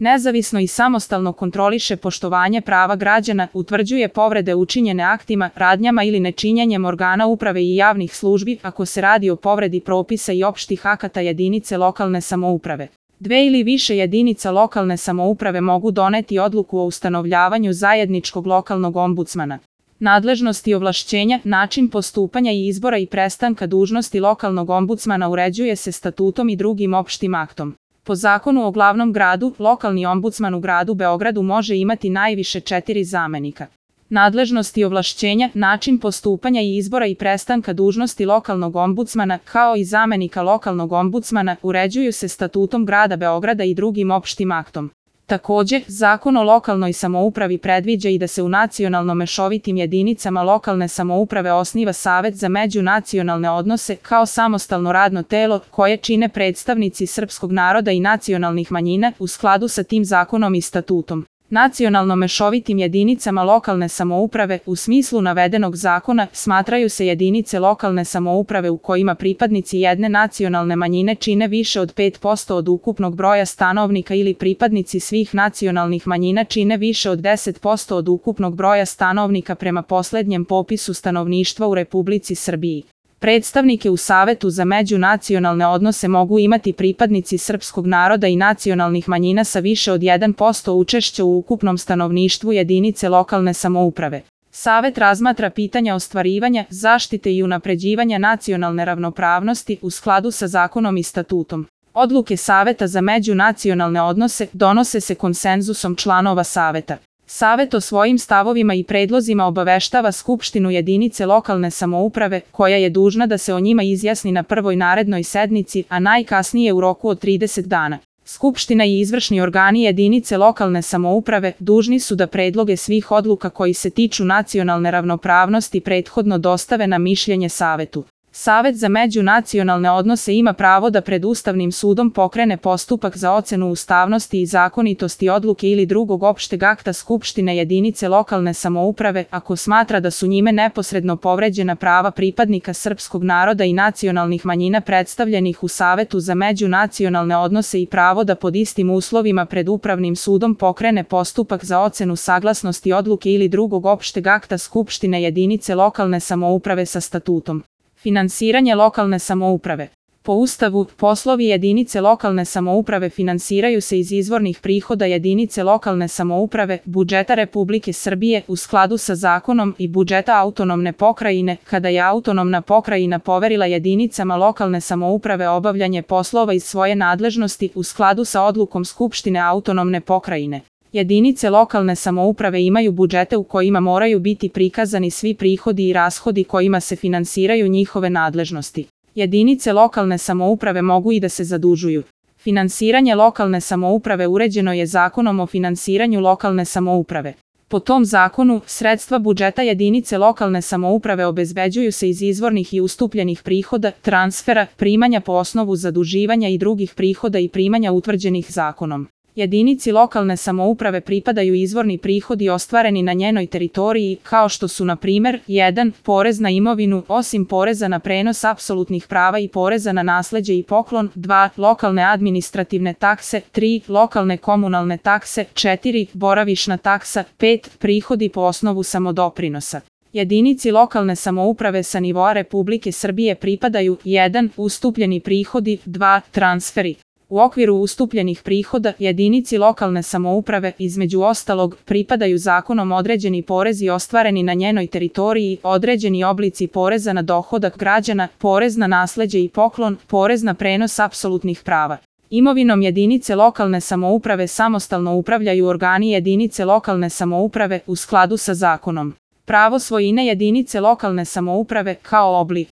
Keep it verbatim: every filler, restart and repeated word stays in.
Nezavisno i samostalno kontroliše poštovanje prava građana, utvrđuje povrede učinjene aktima, radnjama ili nečinjenjem organa uprave i javnih službi ako se radi o povredi propisa i opštih akata jedinice lokalne samouprave. Dve ili više jedinica lokalne samouprave mogu doneti odluku o ustanovljavanju zajedničkog lokalnog ombudsmana. Nadležnost i ovlašćenja, način postupanja i izbora i prestanka dužnosti lokalnog ombudsmana uređuje se statutom i drugim opštim aktom. Po zakonu o glavnom gradu, lokalni ombudsman u gradu Beogradu može imati najviše četiri zamenika. Nadležnost i ovlašćenja, način postupanja i izbora i prestanka dužnosti lokalnog ombudsmana, kao i zamenika lokalnog ombudsmana, uređuju se statutom grada Beograda i drugim opštim aktom. Takođe, Zakon o lokalnoj samoupravi predviđa i da se u nacionalno mešovitim jedinicama lokalne samouprave osniva Savet za međunacionalne odnose kao samostalno radno telo koje čine predstavnici srpskog naroda i nacionalnih manjina u skladu sa tim zakonom i statutom. Nacionalno mešovitim jedinicama lokalne samouprave u smislu navedenog zakona smatraju se jedinice lokalne samouprave u kojima pripadnici jedne nacionalne manjine čine više od pet posto od ukupnog broja stanovnika ili pripadnici svih nacionalnih manjina čine više od deset posto od ukupnog broja stanovnika prema poslednjem popisu stanovništva u Republici Srbiji. Predstavnike u Savetu za međunacionalne odnose mogu imati pripadnici srpskog naroda i nacionalnih manjina sa više od jedan posto učešća u ukupnom stanovništvu jedinice lokalne samouprave. Savet razmatra pitanja ostvarivanja, zaštite i unapređivanja nacionalne ravnopravnosti u skladu sa zakonom i statutom. Odluke Saveta za međunacionalne odnose donose se konsenzusom članova Saveta. Savet o svojim stavovima i predlozima obaveštava Skupštinu jedinice lokalne samouprave, koja je dužna da se o njima izjasni na prvoj narednoj sednici, a najkasnije u roku od trideset dana. Skupština i izvršni organi jedinice lokalne samouprave dužni su da predloge svih odluka koji se tiču nacionalne ravnopravnosti prethodno dostave na mišljenje Savetu. Savet za međunacionalne odnose ima pravo da pred Ustavnim sudom pokrene postupak za ocenu ustavnosti i zakonitosti odluke ili drugog opšteg akta Skupštine jedinice lokalne samouprave ako smatra da su njime neposredno povređena prava pripadnika srpskog naroda i nacionalnih manjina predstavljenih u Savetu za međunacionalne odnose i pravo da pod istim uslovima pred Upravnim sudom pokrene postupak za ocenu saglasnosti odluke ili drugog opšteg akta Skupštine jedinice lokalne samouprave sa statutom. Finansiranje lokalne samouprave. Po Ustavu, poslovi jedinice lokalne samouprave finansiraju se iz izvornih prihoda jedinice lokalne samouprave, budžeta Republike Srbije u skladu sa zakonom i budžeta autonomne pokrajine, kada je autonomna pokrajina poverila jedinicama lokalne samouprave obavljanje poslova iz svoje nadležnosti u skladu sa odlukom Skupštine autonomne pokrajine. Jedinice lokalne samouprave imaju budžete u kojima moraju biti prikazani svi prihodi i rashodi kojima se finansiraju njihove nadležnosti. Jedinice lokalne samouprave mogu i da se zadužuju. Finansiranje lokalne samouprave uređeno je Zakonom o finansiranju lokalne samouprave. Po tom zakonu, sredstva budžeta jedinice lokalne samouprave obezbeđuju se iz izvornih i ustupljenih prihoda, transfera, primanja po osnovu zaduživanja i drugih prihoda i primanja utvrđenih zakonom. Jedinici lokalne samouprave pripadaju izvorni prihodi ostvareni na njenoj teritoriji, kao što su na primer jedan porez na imovinu, osim poreza na prenos apsolutnih prava i poreza na nasleđe i poklon, dva lokalne administrativne takse, tri lokalne komunalne takse, četiri boravišna taksa, pet prihodi po osnovu samodoprinosa. Jedinici lokalne samouprave sa nivoa Republike Srbije pripadaju jedan ustupljeni prihodi, dva transferi. U okviru ustupljenih prihoda jedinici lokalne samouprave, između ostalog, pripadaju zakonom određeni porezi ostvareni na njenoj teritoriji, određeni oblici poreza na dohodak građana, porez na nasleđe i poklon, porez na prenos apsolutnih prava. Imovinom jedinice lokalne samouprave samostalno upravljaju organi jedinice lokalne samouprave u skladu sa zakonom. Pravo svojine jedinice lokalne samouprave kao oblik